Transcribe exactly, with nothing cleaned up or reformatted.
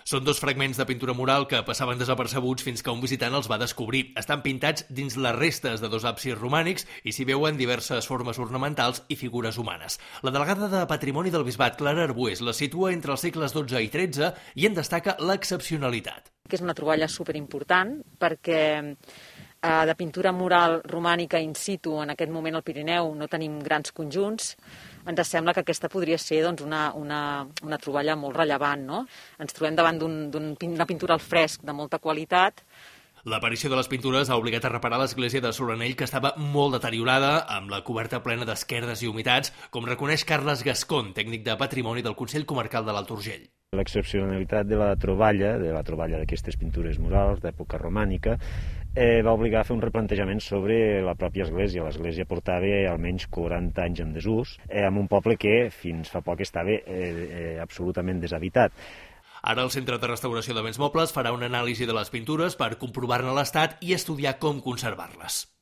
Són dos fragments de pintura mural que passaven desapercebuts fins que un visitant els va descobrir. Estan pintats dins les restes de dos absis romànics i s'hi veuen diverses formes ornamentals i figures humanes. La delegada de Patrimoni del Bisbat, Clara Arbués, la situa entre els segles dotze i tretze i en destaca l'excepcionalitat. Que és una troballa superimportant perquè eh, de pintura mural romànica in situ en aquest moment al Pirineu no tenim grans conjunts. Ens sembla que aquesta podria ser doncs, una, una, una troballa molt rellevant, no? Ens trobem davant d'una un, un, pintura al fresc de molta qualitat. L'aparició de les pintures ha obligat a reparar l'església de Solanell, que estava molt deteriorada, amb la coberta plena d'esquerdes i humitats, com reconeix Carles Gascón, tècnic de Patrimoni del Consell Comarcal de l'Alt Urgell. L'excepcionalitat de la troballa, de la troballa d'aquestes pintures murals d'època romànica, eh, va obligar a fer un replantejament sobre la pròpia església. L'església portava almenys quaranta anys en desús, eh, en un poble que fins fa poc estava eh, eh, absolutament deshabitat. Ara el Centre de Restauració de Béns Mobles farà una anàlisi de les pintures per comprovar-ne l'estat i estudiar com conservar-les.